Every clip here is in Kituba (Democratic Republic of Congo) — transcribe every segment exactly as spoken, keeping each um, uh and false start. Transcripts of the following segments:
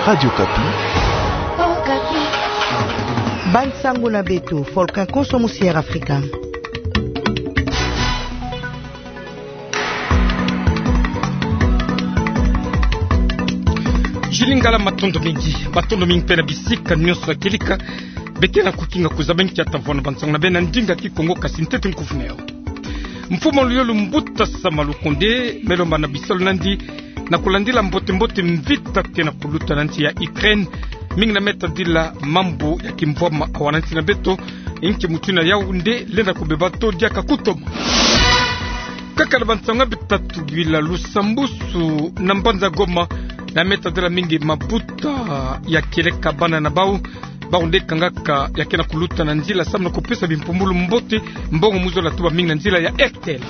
Radio Kapi. Bansango na beto, Volcan Konso, Musière Afrika. Julie Ngala, matondo mingi. Matondo mingi mpe na bisika nyonso ya kieleka. Beke na kukinga kuzaba nkia tavwanda bansango na beno na ndinga Kikongo, kasi ntete nkufu na yao. Mfumu wa luyolu Mbuta Sama Lukonde me lomba na bisalu na yandi na kulandila mbote-mbote mvita ke na kuluta na nsi ya Ukraine, mingi na me tadila mambu ya kimvwama awa na nsi na beto. Nki mutindu yau nde lenda kubeba to diaka kutoma. Kaka na bansango ya bitatu bila lusambusu na mbanza Goma, na me tadila mingi mabuta ya kieleka bana na bau, bau nde kangaka ya ke na kuluta na nzila samu na kupesa bimpumbulu mbote, mbongo mu zola tuba mingi na nzila ya R T L.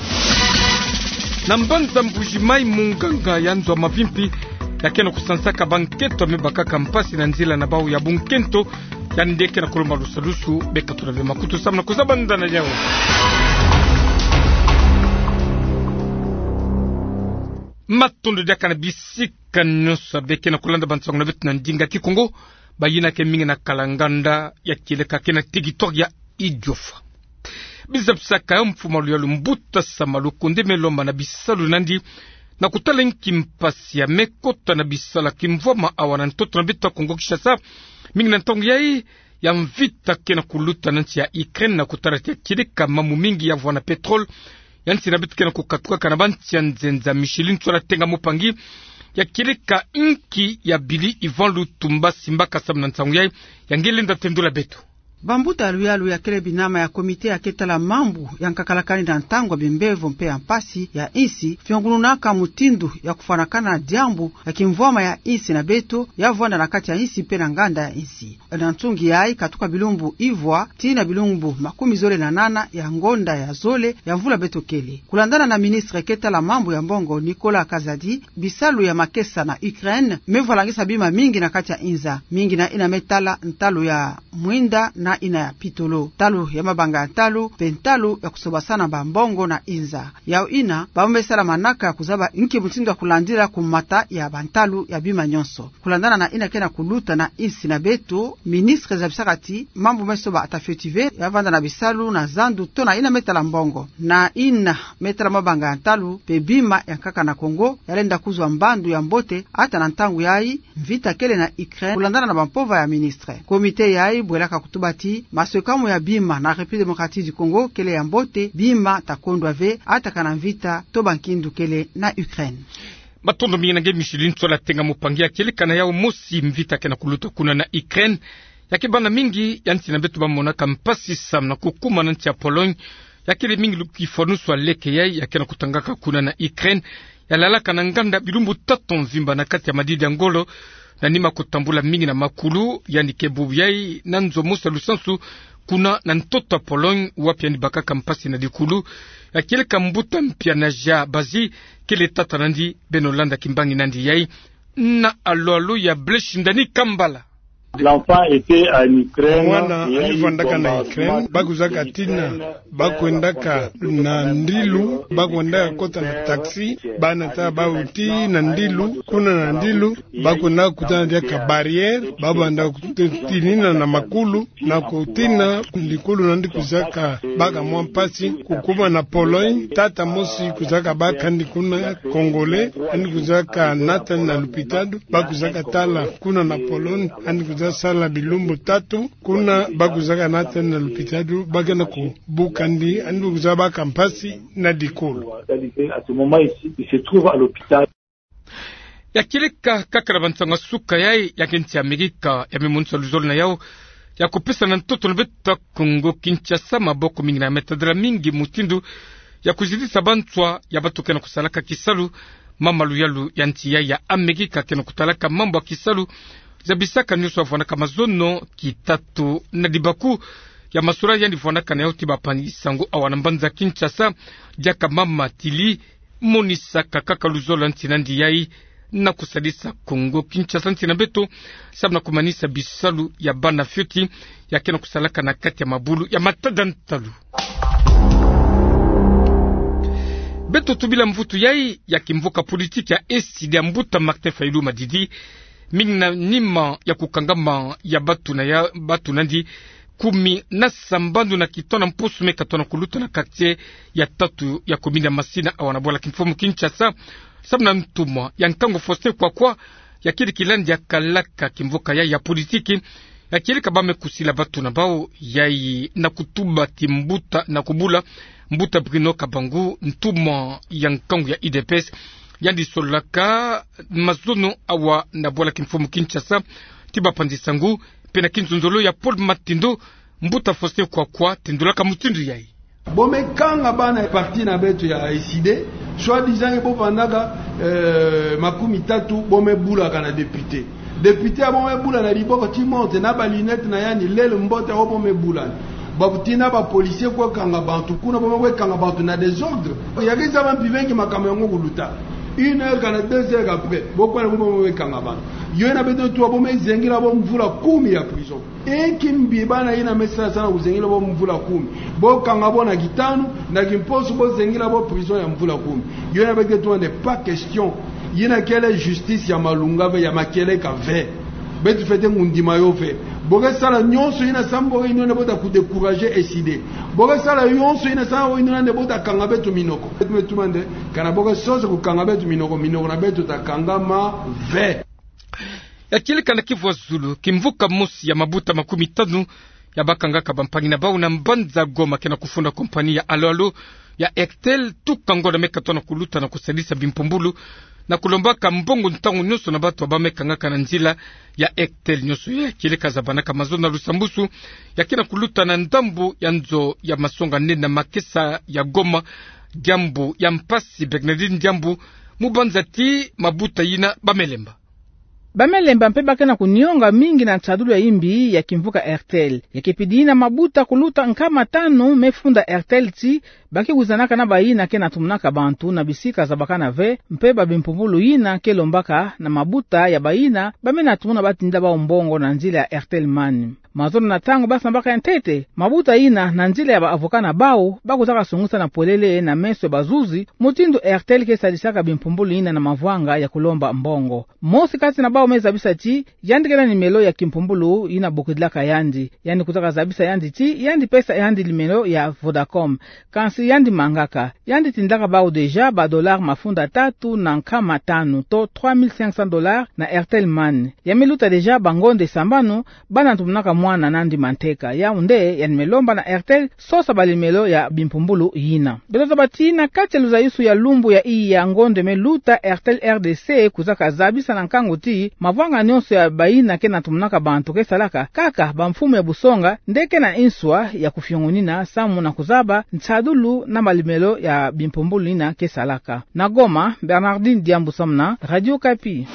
Na mbanza Mbuji-Mayi, munganga ya nzo ya mavimpi ya ke na kusansaka bankento ya me bakaka mpasi na nzila na bau ya bunkento, yandi nde ke na kulomba lusalusu. Beka tula ve makutu samu na kuzaba nda na yau. Matondo diaka na bisika nyonso beke na kulanda bansango na beto na ndinga Kikongo, bayina ke mingi na kala nganda ya kieleka ke na territoire ya Idiofa. Bizabisaka yau, mfumu wa luyolu Mbuta Sama Lukonde me lomba na bisalu na yandi na kutala nki mpasi ya me kota na bisalu ya kimvwama awa na ntoto na beto ya Kongo Kinshasa, mingi na ntangu yai ya mvita ke na kuluta na nsi ya Ukraine, na kutala ti ya kieleka mambu mingi ya vwanda pétrole ya nsi na beto ke na kukatukaka na bansi ya nzenza. Micheline Ntsola Tenga Mupangi, ya kieleka nki ya bili Yvan Lutumba simbaka samu na nsangu yai, ya nge lenda tendula beto. Bambuta ya luyalu ya kele binama ya comité ya ke tala mambu ya nkakalakani na ntangu ya bimbevo mpe ya mpasi ya nsi, fiongununaka mutindu ya kufwanakana diambu ya kimvwama ya nsi na beto ya vwanda na kati ya nsi mpe na nganda ya nsi. Na nsungi yai, katuka bilumbu ivwa tii na bilumbu makumi zole na nana ya ngonda ya zole ya mvula beto kele. Kulandana na ministre ke tala mambu ya mbongo, Nicolas Kazadi, bisalu ya makesa na Ukraine me vwalangisa bima mingi na kati ya inza, mingi na yina me tala ntalu ya mwinda na yina ya pitolo, ntalu ya mabanga ya ntalu, mpe ntalu ya kusobasana bambongo na inza. Yau yina, bau me sala manaka ya kuzaba nki mutindu ya kulandila kumata ya bantalu ya bima nyonso. Kulandana na yina ke na kuluta na nsi na beto, ministre zabisaka ti mambu me soba ata fioti ve ya vanda na bisalu na zandu to na yina me tala mbongo, na yina me tala mabanga ya ntalu mpe bima ya nkaka na Kongo ya lenda kuzwa mbandu ya mbote, ata na ntangu yai mvita kele na Ukraine, kulandana na bampova ya ministre. Comité yai bwelaka kutuba ti maswekamu ya bima na République Démocratique du Congo kele ya mbote, bima ta kondwa ve ata kana mvita to bankindu kele na Ukraine. Matondo mingi na nge Micheline Ntsola Tenga Mupangi. Ya kieleka na yau mosi mvita ke na kuluta kuna na Ukraine, ya ke banda mingi ya nsi na beto ba monaka mpasi samu na kukuma na nsi ya Pologne, ya kele mingi lu- kifwanusu ya leke yai ya ke na kutangaka kuna na Ukraine, ya lalaka na nganda bilumbu tatu mvimba na kati ya madidi ya ngolo, na nima kutambula mingi na makulu. Yandi ke bubu yai na nzo mosi ya lusansu kuna na ntoto ya Pologne, wapi yandi bakaka mpasi na dikulu. Ya kieleka mbuta Mpiana Jean Bazi, kele tata na yandi. Beno landa kimbangi na yandi yai na alo-alo ya Blaise Ndani Kambala. L'enfant était en Ukraine. Mwana alivandaka na Ukraine, ba kuzaka tina, ba kwendaka na ndilu, ba kwendaka kota na taxi, bana ta bau tii na ndilu, kuna na ndilu, ba kwendaka kutana diaka barrière, ba bandaka kutinina na makulu, na kutina dikulu na yandi kuzaka baka mwa mpasi. Kukuma na Pologne, tata mosi kuzaka baka yandi kuna, Congolais, yandi kuzaka nata yandi na lupitalu, ba kuzaka tala kuna na Pologne, yandi kuzaka sala bilumbu tatu kuna, ba kuzaka nata yandi na lupitalu, ba ke na kubuka yandi, yandi kuzaka baka mpasi na dikulu. Ya kieleka kaka na bansango ya suka yai, ya ke nsi ya Amerika ya me monisa luzolo na yau ya kupesa na ntoto na beto ya Kongo Kinshasa maboko mingi na me tadila mingi mutindu ya kuzidisa banswa ya bato ke na kusalaka kisalu. Mama luyalu ya nsi yai ya Amerika ke na kutalaka mambu ya kisalu zabisaka nyonso ya vwandaka mazono kitatu na dibaku ya masura yandi vwandaka na yau ti bapangi sango awa na mbanza Kinshasa, diaka mama Tili, monisaka kaka luzolo ya nsi na yandi yai na kusadisa Kongo Kinshasa, nsi na beto, samu na kumanisa bisalu ya bana fioti ya ke na kusalaka na kati ya mabulu ya matada ntalu. Beto tubila mvutu yai ya kimvuka politiki ya S I D ya mbuta Martin Fayulu Madidi, Mingi na nima ya kukangama ya bantu na ya, bantu nandi kumi na sambanu na kitono mpusu me katona kuluta na quartier ya tatu ya commune ya Masina, awa na bwala kimfumu Kinshasa. Samu na ntumwa ya nkangu Faustin Kwakwa, ya kiri kilandi ya kalaka kimvuka ya, ya politiki, ya kieleka bau me kusila bantu na bau yayi na kutuba ti mbuta na kubula mbuta Bruno Kabangu, ntumwa ya nkangu ya U D P S, yandi sololaka mazono awa na bwala kimfumu Kinshasa, ti bapanzi sangu, mpe na kinzonzolo ya Paul Matindo, mbuta Faustin Kwakwa tindulaka mutindu yayi. Bau me kanga bana ya parti na beto ya U C D, soi-disant bau vandaka, euh, makumi tatu, bau me bulaka na député. Député ya bau me bula na biboko ti montre na ba lunette na yandi, lele mbote, o bau me bula. Babuti na ba policier kwe kanga bantu kuna, bau me kwe kanga bantu na désordre. Ya ke zaba mpi vengi makambu yango kuluta. Une heure kana deux heures après, bau kwenda bau me kanga bantu. Yo yina beto tuba bau me zengila bau mvula kumi ya prison. Inki mbi bana yina me sala sana kuzengila bau mvula kumi? Bau kanga bau na kitanu, na kimposo bau zengila bau prison ya mvula kumi. Yo yina beto tuba nde pas question. Yina kele justice ya malunga ve, ya makieleka ve. Beto fwete kundima yo ve. Bau ke sala nyonso yina samu bau ke yindu nde bau ta kudécourager U C D. Bau ke sala nyonso yina samu bau ke yindu nde bau ta kanga beto minoko. Beto me tuba nde, kana bau ke sosa kukanga beto minoko, minoko na beto ta kangama ve. Ya kieleka na Kivu ya Zulu, kimvuka mosi ya mabuta makumi tanu ya bakangaka bampangi na bau na mbanza Goma ke na kufunda compagnie ya alo-alo ya Airtel, tuka ngonda me katona kuluta na kusadisa bimpumbulu na kulombaka mbongo ntangu nyonso na bantu ya bau me kangaka na nzila ya Airtel nyonso. Ya kieleka zabanaka mazono na lusambusu ya ke na kuluta na ndambu ya nzo ya masonga nene na makesa ya Goma, Diambu ya mpasi, Bernardine Diambu, mu banza ti mabuta yina bau me lemba. Bau me lemba mpe bau ke na kunionga mingi na nsadulu ya imbi ya kimvuka Airtel. Ya kepidi yina mabuta kuluta nkama tanu me funda Airtel ti bau ke wizanaka na bayina ke na tumunaka bantu na bisika zabakana ve, mpe babimpumbulu yina ke lombaka na mabuta ya bayina bau me na tumuna batinda bau mbongo na nzila ya Airtel Money. Mazono na ntangu bau sambaka ya ntete, mabuta yina na nzila ya ba avocat na bau, bau kuzaka sungusa na polele na meso ya bazuzi mutindu Airtel ke sadisaka bimpumbulu yina na mavwanga ya kulomba mbongo. Mosi kati na bau me zabisa ti yandi ke na numéro ya kimpumbulu yina bokidilaka yandi. Yandi kuzaka zabisa yandi ti yandi pesa yandi numéro ya Vodacom. Kansi yandi mangaka. Yandi tindaka bau déjà ba dollars mafunda tatu na nkama tanu, to trois mille cinq cents dollars na Airtel Money. Ya me luta déjà bangonde sambanu, bau na tumunaka mwana nandi manteka. Yau nde yandi me lomba na Airtel sosa ba numéro ya bimpumbulu yina. Beto zaba ti na kati ya luzayusu ya lumbu ya iya ngonde me luta, Airtel R D C kuzaka zabisa na nkangu ti mavwanga nyonso ya bayina ke na tumunaka bantu ke salaka kaka bamfumu ya busonga nde ke na nswa ya kufiongonina samu na kuzaba nsadulu na ba numéro ya bimpumbulu yina ke salaka. Na Goma, Bernardine Diambu samu na Radio Okapi.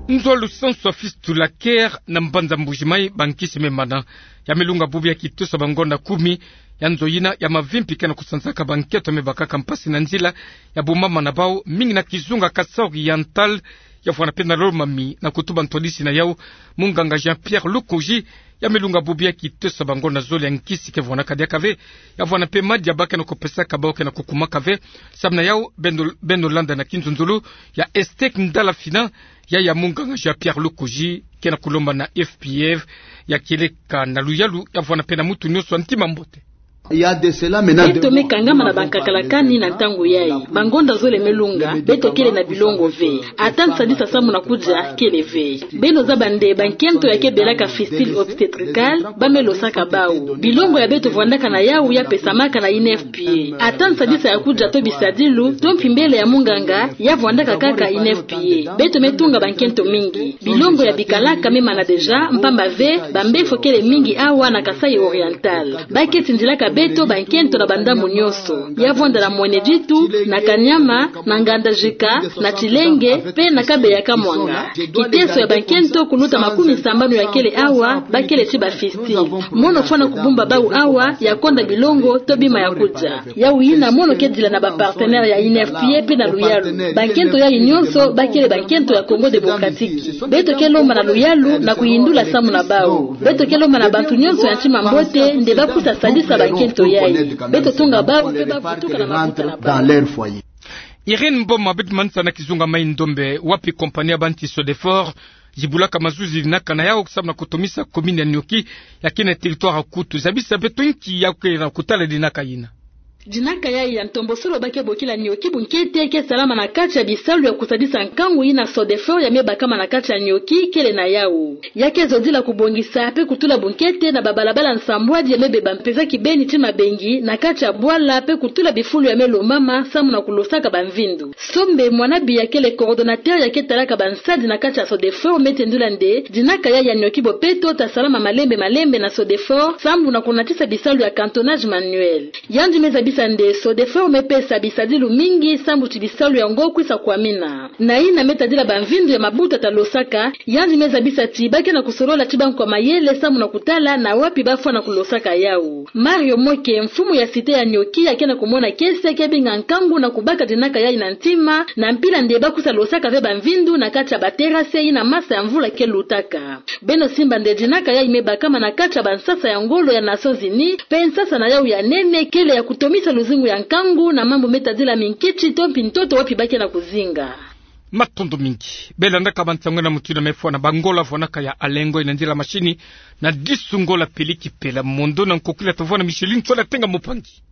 Nzo lusansu ya Fistula Care na mbanza Mbujimayi, bankisi me mana. Ya me lunga bubu ya kitosa bangonda kumi. Ya nzo yina ya mavimpi ke na kusanzaka bankento me bakaka mpasi na nzila ya bumama na bau, mingi na kizunga Kasai Oriental, ya vwanda mpe na Lomami na kutuba ntwadisi na yau, munganga Jean-Pierre Lukoji. Ya me lunga bubu ya kitosa bangonda zole ya nkisi ke vwandaka diaka ve. Ya vwanda mpe madi ya bau ke na kupesaka bau ke na kukumaka ve. Samu na yau, beno, beno landa na kinzonzolo ya Estek Ndala Fina, ya ya munganga Jean-Pierre Lukoji ke na kulomba na F P F, ya kieleka na luyalu, ya vwanda mpe na mutu nyonso ya ntima mbote. Beto me kangama na bankakalakani na ntangu yayi. Bangonda zole me lunga, beto kele na bilongo ve. Ata nsadisa samu na kudia kele ve. Beno zaba nde bankento ya ke belaka fistule obstétricale, bau me losaka bau. Bilongo ya beto vwandaka na yau ya pesamaka na I N F P A. Ata nsadisa ya kudia to bisadilu, to mpimbele ya munganga, ya vwandaka kaka I N F P A. Beto me tunga bankento mingi. Bilongo ya bikalaka me mana déjà, mpamba ve, bambefo kele mingi awa na Kasai Oriental. Bau ke tindilaka beto bankento na bandambu nyonso. Ya vwanda na Mweneditu, na Kanyama, na Ngandajika, na Tilenge, mpe na Kabeya Kamwanga. Kiteso ya bankento kuluta makumi sambanu ya kele awa, bau kele ti bafistule. Mono fwana kubumba bau awa, ya konda bilongo, to bima ya kudia. Yau yina mono ke dila na bapartenaire ya I N F P A mpe na luyalu. Bankento yayi nyonso, bau kele bankento ya Congo Démocratique. Beto ke lomba na luyalu na kuyindula samu na bau. Beto ke lomba na bantu nyonso ya ntima mbote nde bau kwisa sadisa bankento yayi. Beto tunga bau mpe bau vutuka na makuta na bau. Irène Mboma, beto manisa na kizunga Maï-Ndombe, wapi kompani ya banti Sodefort zibulaka mazuzi dinaka na yawu samu na kutomisa commune ya Nioki, ya ke na territoire ya Kutu. Zabisa beto nki ya kele na kutala dinaka yina. Dinaka yayi ya ntombosolo ba ke bokila Nioki bunkete ke salama na kati ya bisalu ya kusadisa nkangu yina Sodefort ya me bakama na kati ya Nioki kele na yawu. Ya ke zodila kubongisa pe kutula bunkete na babalabala nsambwadi ya me beba mpeza kibeni ti mabengi na kati ya bwala pe kutula bifulu ya me lombama samu na kulosaka bamvindu. Sombe Mwanabiya kele coordonnateur ya ke talaka bansadi na kati ya Sodefort me tendula nde dinaka yayi ya Nioki bo peto ta salama malembe malembe na Sodefort samu na kunatisa bisalu ya cantonnage manuel. Yandi me zabisa nde Sodefort me pesa bisadilu mingi samu ti bisalu yango kwisa kwamina. Na yina me tadila bamvindu ya mabuta ta losaka, yandi me zabisa ti ba ke na kusolola ti bankwa mayele samu na kutala na wapi ba fwana kulosaka yawu. Mario Moke, mfumu ya cité ya Nioki, ya ke na kumona kiese ke binga nkangu na kubaka dinaka yayi na ntima, na mpila nde ba kwisa losaka ve bamvindu na kati ya baterase yina masa ya mvula ke lutaka. Beno simba nde dinaka yayi me bakama na kati ya bansasa ya ngolo ya Nations Unies, pe nsasa na yawu ya nene kele ya kutomisa luzingu ya nkangu na mambu me tadila minkiti to mpi ntoto wapi ba ke na kuzinga. Matondo mingi. Beno landaka bansangu na mutindu ya me fwana, ba Ngola vwanaka ya Alengo, ina ndila mashini na Disu Ngola Peliki Pela, mondo na nkokila tavwana Micheline Tsola Tenga Mopangi.